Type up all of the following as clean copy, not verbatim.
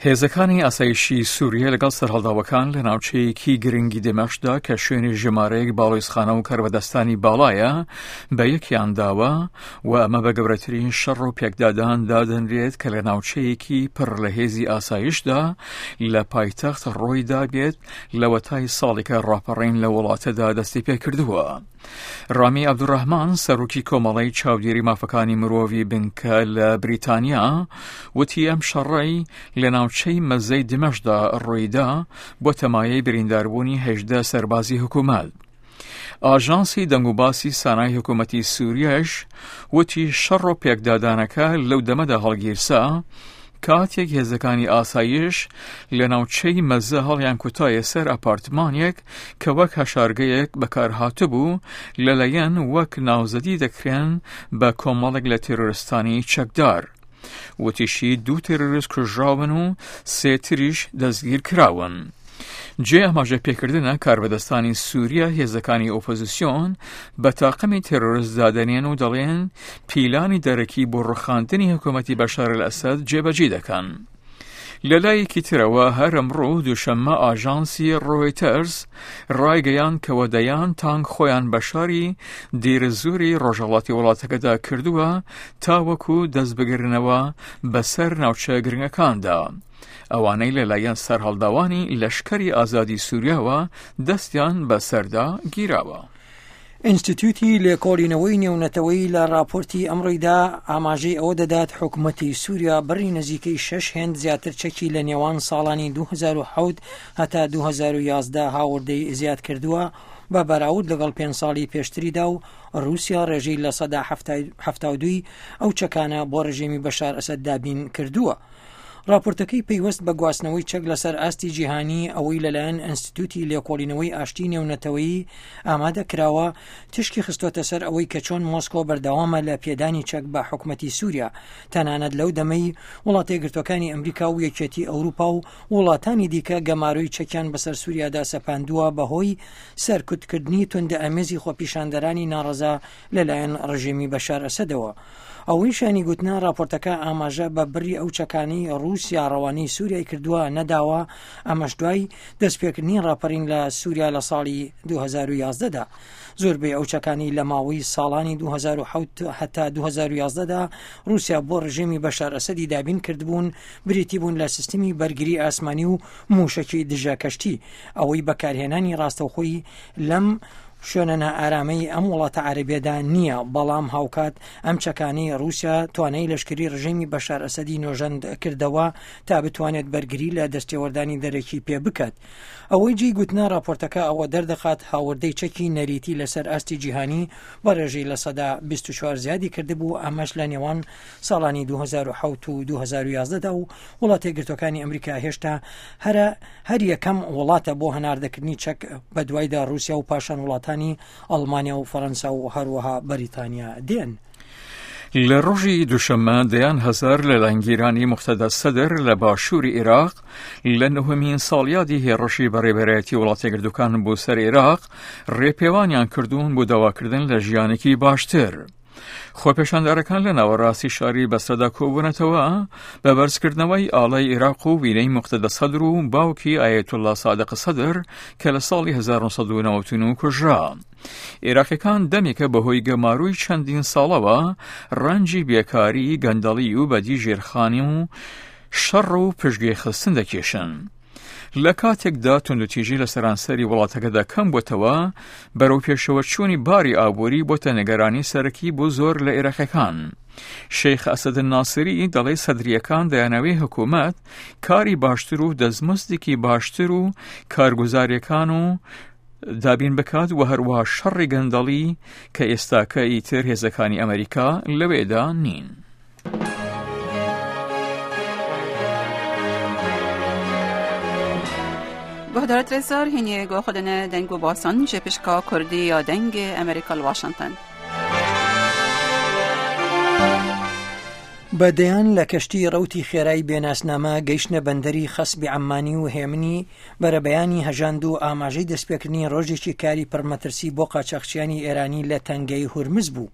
هێزەکانی ئاسایشی سووریە لەگەڵ سەرهەڵداوەکان لە ناوچەیەکی گرنگی دمەشقدا کە شوێنی ژمارەیەک باڵیزخانە و کاربەدەستانی باڵایە بە یەکیان داوە و ئەمە بە گەورەترین شەڕ و پێکدادان دادەنرێت کە لە ناوچەیەکی پڕ لە هێزی ئاسایشدا لە پایتەخت ڕۆی دابێت لەوەتای ساڵێکە ڕاپەڕین لە وڵاتەدا دەستی پێکردووە. ڕامی عەبدولڕەحمان سەرۆکی کۆمەڵەی چاودێری مافەکانی مرۆڤی بنکە لە بریتانیا وتی ئەم شەڕەی لە ناوچەی مەزەی دمەشدا ڕوویدا بۆتە مایەی برینداربوونی هەژدە سەربازی حکوومەت. ئاژانسی دەنگوباسی سانای حکوومەتی سووریەش وتی شەڕ و پێکدادانەکە لەو دەمەدا هەڵگیرسا کاتێک هێزەکانی ئاسایش لە ناوچەی مەزە هەڵیان کوتایە سەر ئەپارتمانێک کە وەک هەشارگەیەک بەکارهاتبوو لەلایەن وەک ناوزەدی دەکرێن بە کۆمەڵێک لە تێرۆرستانی چەکدار. وتیشی دوو تێرۆریست کوژراون و سێ تریش دەستگیر کراون. جێ ئاماژە پێکردنە کاربەدەستانی سووریا هێزەکانی ئۆپۆزیسیۆن بە تاقمی تێرۆریست دادەنێن و دەڵێن پیلانی دەرەکی بۆ ڕوخاندنی حکوومەتی بەشار ئەلئەسەد جێبەجێ دەکەن. لەلایەکی ترەوە هەر ئەمڕۆ دووشەممە ئاژانسی ڕۆیتەرز ڕایگەیاند کەوە دەیان تانک خۆیان بە شاری دیرزوری ڕۆژهەڵاتی وڵاتەکەدا کردووە تاوەکو دەست بگرنەوە بەسەر ناوچە گرنگەکاندا. ئەوانەی لەلایەن سەرهەڵداوانی لەشکری ئازادی سووریاوە دەستیان بەسەردا گیراوە. ئینستیتیوتی لێکۆڵینەوەی نێونەتەوەیی لە ڕاپۆرتی ئەمڕۆیدا ئاماژەی ئەوە دەدات حکومەتی سووریا بڕی نزیکەی شەش هێند زیاتر چەکی لە نێوان ساڵانی 2007 هەتا 2011 هاوردەی زیاد کردووە بە بەراورد لەگەڵ پێنج ساڵی پێشتریدا و ڕووسیا ڕێژەی لە سەدا 72 ئەو چەکانە بۆ ڕژێمی بەشار ئەسەد دابین کردووە. ڕاپۆرتەکەی پەیوەست بە گواستنەوەی چەک لەسەر ئاستی جیهانی ئەوەی لەلایەن ئەنستیتوتی لێکۆڵینەوەی ئاشتی نێونەتەوەیی ئامادە کراوە تشکی خستۆتە سەر ئەوەی کە چۆن مۆسکۆ بەردەوامە لە پێدانی چەک بە حکومەتی سووریا تەنانەت لەو دەمەی وڵاتە یەکگرتووەکانی ئەمریکا و یەکێتی ئەوروپا و وڵاتانی دیکە گەمارۆی چەکیان بەسەر سووریادا سەپاندووە بەهۆی سەرکوتکردنی توندئامێزی خۆپیشاندەرانی ناڕەزا لەلایەن ڕژێمی بەشار ئەسەدەوە. ئەوەی شایانی گوتنە راپۆرتەکە ئاماژە بە بڕی ئەو چەکانەی رووسیا ڕەوانەی سووریای کردووە نەداوە، ئەمەش دوای دەستپێکردنی راپەرین لە سووریا لە ساڵی 2011 دا. زۆربەی ئەو چەکانەی لە ماوەی ساڵانی 2007 هەتا 2011 دا رووسیا بۆ ڕژێمی بەشار ئەسەدی دابین کردبوون، بریتی بوون لە سیستمی بەرگری ئاسمانی و مووشەکی دژە کەشتی، ئەوەی بەکارهێنانی ڕاستەوخۆی لەم شوێنە نائارامەی ئەم وڵاتە عەرەبیەدا نییە، بەڵام هاوکات ئەم چەکانەی ڕووسیا توانای لەشکری ڕژێمی بەشار ئەسەدی نۆژەند کردەوە تا بتوانێت بەرگری لە دەستێوەردانی دەرەکی پێ بکات. ئەوەی جێی گوتنە ڕاپۆرتەکە ئەوە دەردەخات هاوردەی چەکی نەریتی لەسەر ئاستی جیهانی بە ڕێژەی 24% زیادی کردبوو، ئەمەش لە نێوان ساڵانی 2007 و 2011 دا و وڵاتە یەکگرتووەکانی ئەمریکا هێشتا هەرە هەر یەکەم وڵاتە بۆ هەناردەکردنی چەک بەدوایدا ڕووسیا و پاشان وڵاتانی ئەڵمانیا و فەرەنسا و هەروەها بەریتانیا دێن. لە ڕۆژی دوشەممە دەیان هەزار لە لایەنگیرانی موقتەدا سەدر لە باشووری عێراق لە نهمین ساڵیادی هێڕشی بەڕێبەرایەتی وڵاتەگردوەکان بۆ سەر عێراق ڕێپێوانیان کردوون بۆ داواکردن لە ژیانێکی باشتر. خۆپێشاندەرەکان لە ناوەڕاستی شاری بەسرەدا کۆبوونەتەوە بە بەرزکردنەوەی ئاڵای عێراق و وینەی موقتەدا سەدر و باوکی ئایەتوڵڵا سادق سەدر کە لە ساڵی 1999 کوژرا. عێراقیەکان دەمێکە بەهۆی گەمارۆی چەندین ساڵەوە ڕەنجی بێکاری، گەندەڵی و بەدی ژێرخانی و شەڕ و پشتگوێخستن دەکێشن. لە کاتێکدا توندوتیژی لە سەرانسەری وڵاتەکەدا کەم بۆتەوە، بەرەو پێشەوەچوونی باری ئابووری بۆتە نیگەرانی سەرەکی بۆ زۆر لە عێراقیەکان. شێخ ئەسەد ناسری دەڵێ سەدریەکان دەیانەوێ حکوومەت کاری باشتر و دەستمزدێکی باشتر و کارگوزاریەکان و دابین بکات و هەروەها شەڕی گەندەڵی کە ئێستاکە ئیتر هێزەکانی ئەمریکا لەوێدا نین. گهدارت رزار هینی گو خودنه دنگ و باسان جه پشکا کردی یا دنگ امریکا واشنگتن. بە دەیان لە کەشتی ڕەوتی خێرای بێناسنامە گەیشتنە بەندەری خەسبی عەممانی و هێمنی بەرەبەیانی هەژاند و ئاماژەی دەستپێکردنی ڕۆژێکی کاری پڕمەترسی بۆ قاچاخچیانی ئێرانی لە تەنگەی هورمز بوو.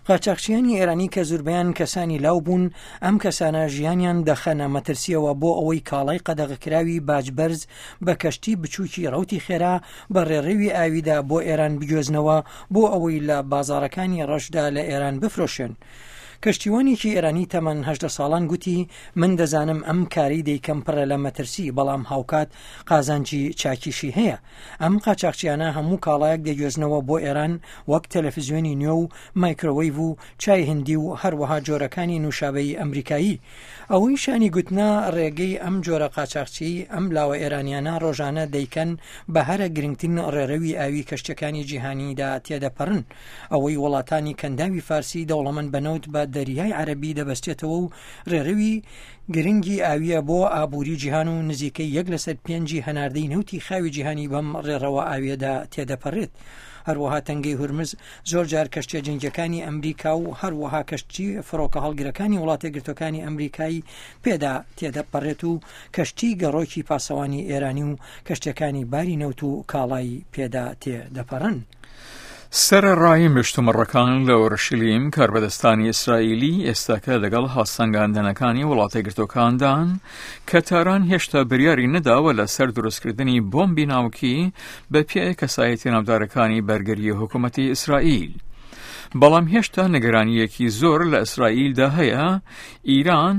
قاچاخچیانی ئێرانی کە زوربەیان کەسانی لاو بوون، ئەم کەسانە ژیانیان دەخەنە مەترسییەوە بۆ ئەوەی کاڵای قەدەغەکراوی باج بەرز بە کەشتی بچووکی ڕەوتی خێرا بە ڕێڕەوی ئاویدا بۆ ئێران بگوێزنەوە بۆ ئەوەی لە بازاڕەکانی ڕەشدا لە ئێران بفرۆشێن. کەشتیوانێکی ئێرانی تەمەن 18 ساڵان گوتی من دەزانم ئەم کارەی دەیکەم پڕە لە مەترسی بەڵام هاوکات قازانجی چاکیشی هەیە. ئەم قاچاخچیانە هەموو کاڵایەک دەگوێزنەوە بۆ ئێران وەک تەلەفزیۆنی نوێ و مایکرۆوەیڤ و چای هندی و هەروەها جۆرەکانی نوشابەی ئەمریکایی. ئەوەی شانی گوتنە ڕێگەی ئەم جۆرە قاچاخچیی ئەم لاوە ئێرانیانە ڕۆژانە دەیکەن بە هەرە گرنگترین ڕێڕەوی ئاوی کەشتیەکانی جیهانیدا تێدەپەڕن ئەوەی وڵاتانی کەنداوی فارسی دەوڵەمەند بە نەوت بە دەریای عەرەبی دەبەستێتەوە و ڕێڕەوی گرنگی ئاوییە بۆ ئابووری جیهان و نزیکەی یەک لەسەر پێنجی هەناردەی نەوتی خاوی جیهانی بەم ڕێڕەوە ئاوییەدا تێدەپەڕێت. هەروەها تەنگەی هورمز زۆر جار کەشتیە جەنگیەکانی ئەمریکا و هەروەها کەشتی فڕۆکە هەڵگرەکانی وڵاتەیەکگرتووەکانی ئەمریکای پێدا تێدەپەڕێت و کەشتی گەڕۆکی پاسەوانی ئێرانی و کەشتیەکانی باری نەوت و کاڵای پێدا تێدەپەڕن. سەرەڕای مشتومڕەکان لە ئۆرشلیم، کاربەدەستانی ئیسرائیلی ئێستاکە لەگەڵ هەڵسەنگاندنەکانی وڵاتەیەکگرتووەکاندان کە تاران هێشتا بریاری نەداوە لەسەر دروستکردنی بۆمبی ناوکی بە پێی کەسایەتی ناودارەکانی بەرگری حکوومەتی ئیسرائیل. بەڵام هێشتا نیگەرانییەکی زۆر لە ئیسرائیلدا هەیە ئیران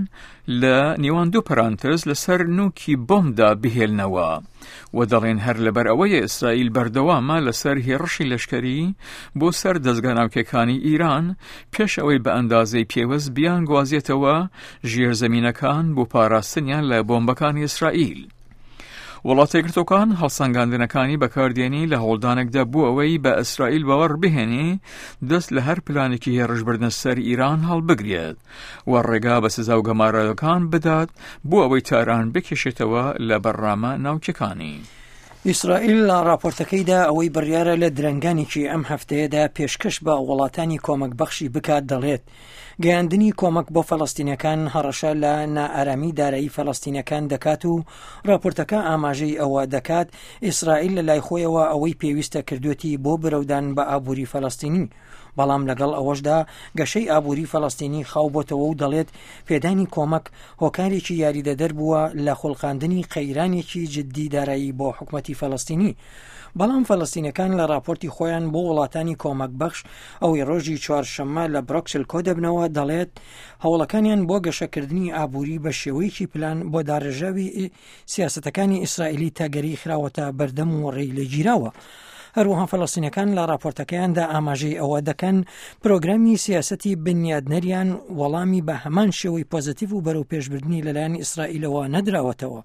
لە نێوان دوو پەرانتز لەسەر نوکی بۆمبدا بهێلنەوە. و دەڵێن هەر لەبەر ئەوەیە ئیسرائیل بەردەوامە لەسەر هێڕشی لەشکەری بۆ سەر دەزگا ناوکیەکانی ئیران پێش ئەوەی بە ئەندازەی پێوەست بیانگوازێتەوە ژێرزەمینەکان بۆ پاراستنیان لە بۆمبەکانی ئیسرائیل. وڵاتەیەکگرتووەکان هەڵسەنگاندنەکانی بەکاردێنی لە هەوڵدانێکدا بۆ ئەوەی بە ئیسرائیل باوەڕ بهێنی دەست لە هەر پلانێکی هێڕشبردنە سەر ئیران هەڵبگرێت. و ڕێگا بە سزا و گەمارۆکان بدات بۆ ئەوەی تاران بکێشێتەوە لە بەرنامە ناوکیەکانی. ئیسرائیل لە ڕاپۆرتەکەیدا ئەوەی بڕیارە لە درەنگانێکی ئەم هەفتەیەدا پێشکەش بە وڵاتانی کۆمەک بەخشی بکات دەڵێت گەیاندنی کۆمەک بۆ فەلەستینەکان هەڕەشە لە نائارامی دارایی فەلەستینەکان دەکات و راپۆرتەکە ئاماژەی ئەوە دەکات ئیسرائیل لە لای خۆیەوە ئەوەی پێویستە کردوێتی بۆ برەودان بە ئابووری فەلەستینی بەڵام لەگەڵ ئەوەشدا گەشەی ئابووری فەلەستینی خاو بۆتەوە و دەڵێت پێدانی کۆمەک هۆکارێکی یاریدەدەر بووە لە خوڵقاندنی قەیرانێکی جددی دارایی بۆ حکومەتی فەلەستینی. بەڵام فەلەستینەکان لە راپۆرتی خۆیان بۆ وڵاتانی کۆمەک بەخش ئەوەی ڕۆژی چوارشەممە لە برۆکسل کۆدەبنەوە دەڵێت هەوڵەکانیان بۆ گەشەکردنی ئابووری بە شێوەیەکی پلان بۆ داڕێژراوی سیاسەتەکانی ئیسرائیلی تەگەری خراوەتە بەردەم و ڕێی لێگیراوە. هەروەها فەلەستینەکان لە راپۆرتەکەیاندا ئاماژەی ئەوە دەکەن پرۆگرامی سیاسەتی بنیادنەریان وەڵامی بە هەمان شێوەی پۆزەتیڤ و بەرەو پێشبردنی لەلایەن ئیسرائیلەوە نەدراوەتەوە.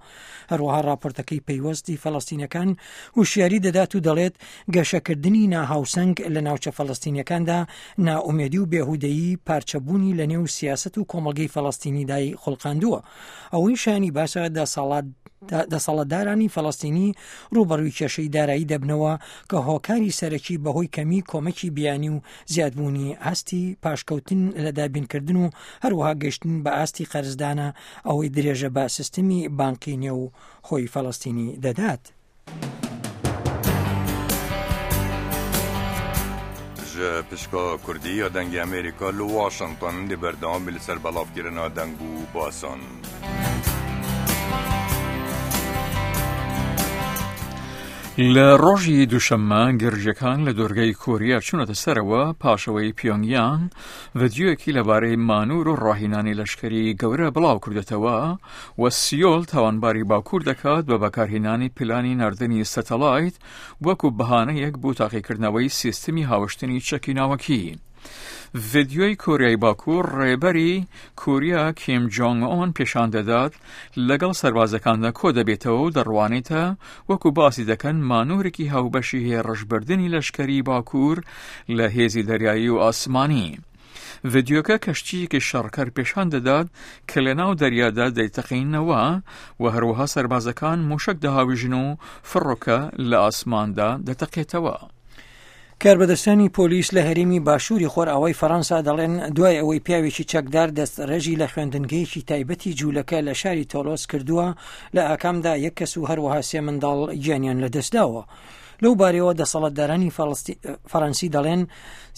هەروەها راپۆرتەکەی پەیوەستی فەلەستینەکان هوشیاری دەدات و دەڵێت گەشەکردنی ناهاوسەنگ لە ناوچە فەلەستینیەکاندا نائومێدی و بێهودەیی پارچەبوونی لە نێو سیاسەت و کۆمەڵگەی فەلەستینیدای خوڵقاندووە. ئەوەی شایانی باسە دەسەڵاتدارانی فەلەستینی ڕووبەڕووی کێشەی دارایی دەبنەوە کە هۆکاری سەرەکی بەهۆی کەمی کۆمەکی بیانی و زیادبوونی ئاستی پاشکەوتن لە دابینکردن و هەروەها گەشتن بە ئاستی قەرزدانە ئەوەی درێژە بە سیستمی بانقی نێو خۆی فەلەستینی دەدات. Ji pişka Kurdî ya Dengê Amerîka li Washington dê berdewam bê li ser belavkirina deng û basan. لە ڕۆژی دووشەممە گرژیەکان لە دۆرگەی کۆریا چوونەتە سەرەوە پاشەوەی پیۆنگیانگ ڤیدیۆیەکی لەبارەی مانور و ڕاهینانی لەشکری گەورە بڵاو کردێتەوە و سیۆل تاوانباری باکوور دەکات بە بەکارهێنانی پلانی ناردنی سەتەلایت وەکو بەهانەیەک بۆ تاقیکردنەوەی سیستمی هاوشتنی چەکی ناوەکی. ڤیدیۆی کۆریای باکوور ڕێبەری کۆریا کیم جۆنگ ئۆن پێشان دەدات لەگەڵ سەربازەکاندا کۆ دەبێتەوە و دەڕوانێتە وەکو باسی دەکەن مانۆرێکی هاوبەشی هێڕشبردنی لەشکەری باکوور لە هێزی دەریایی و ئاسمانی. ڤیدیۆکە کەشتییەکی شەڕکەر پێشان دەدات کە لە ناو دەریادا دەیتەقینەوە و هەروەها سەربازەکان موشەک دەهاویژن و فڕۆکە لە ئاسماندا دەتەقێتەوە. کاربەدەستانی پۆلیس لە هەرێمی باشووری خۆرئاوای فەرەنسا دەڵێن دوای ئەوەی پیاوێکی چەکدار دەستڕێژی لە خوێندنگەیەکی تایبەتی جوولەکە لە شاری تۆلۆس کردووە لە ئاکامدا یەک کەس و هەروەها سێ منداڵ گیانیان لەدەستداوە. لەو بارەیەوە دەسەڵاتدارانی فەرەنسی دەڵێن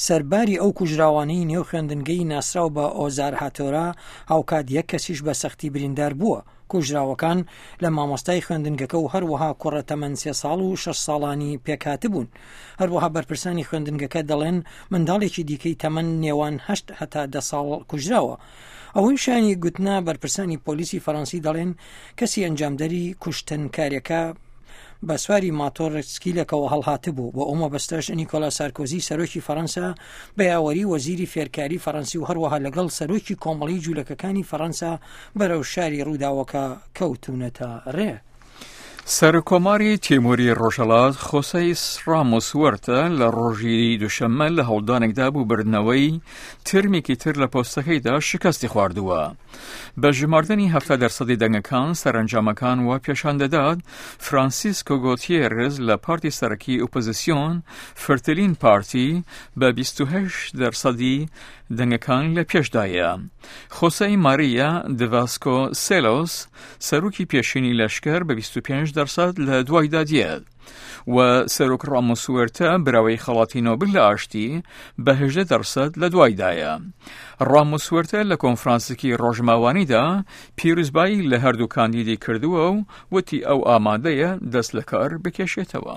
سەرباری ئەو کوژراوانەی نێو خوێندنگەی ناسراو بە ئۆزار هاتۆرا هاوکات یەک کەسیش بە سەختی بریندار بووە. کوژراوەکان لە مامۆستای خوێندنگەکە و هەروەها کوڕە تەمەن سێ ساڵ و شەش ساڵانی پێکهاتبوون. هەروەها بەرپرسانی خوێندنگەکە دەڵێن منداڵێکی دیکەی تەمەن نێوان هەشت هەتا دە ساڵ کوژراوە. ئەوەی شایانی گوتنە بەرپرسانی پۆلیسی فەرەنسی دەڵێن کەسی ئەنجامدەری کوشتنکارەکە بە سواری ماتۆڕ سکیلێکەوە هەڵهاتبوو بۆ ئەو مەبەستەش نیکۆلا سارکۆزی سەرۆکی فەرەنسا بە یاوەری وەزیری فێرکاری فەرەنسی و هەروەها لەگەڵ سەرۆکی کۆمەڵی جوولەکەکانی فەرەنسا بەرەو شاری ڕووداوەکە کەوتوونەتە ڕێ. سەرکۆماری تیموری ڕۆژهەڵات خۆسەیس ڕامۆس وەرتە لە ڕۆژی دوشەممە لە هەوڵدانێکدا بۆ بردنەوەی ترمێکی تر لە پۆستەکەیدا شکستی خواردووە. بە ژماردنی 70 دەرسەدی دەنگەکان سەرەنجامەکان وا پێشان دەدات فرانسیسکۆ گۆتیێرز لە پارتی سەرەکی ئۆپۆزیسیۆن فرتلین پارتی بە 28 دەرسەدی دەنگەکان لە پێشدایە. خۆسەی ماریا دڤاسکۆ سێلۆس سەرۆکی پێشینی لەشکر بە 25 دەرسەد لە دوایدا دێت و سەرۆک ڕامۆس وێرتە براوەی خەڵاتی نۆبل لە ئاشتی بە 18 دەرسەد لە دوایدایە. ڕامۆس وێرتە لە کۆنفرانسێکی ڕۆژماوانیدا پیرۆزبایی لە هەردوو کاندیدی کردووە و وتی ئەو ئامادەیە دەست لە کار بکێشێتەوە.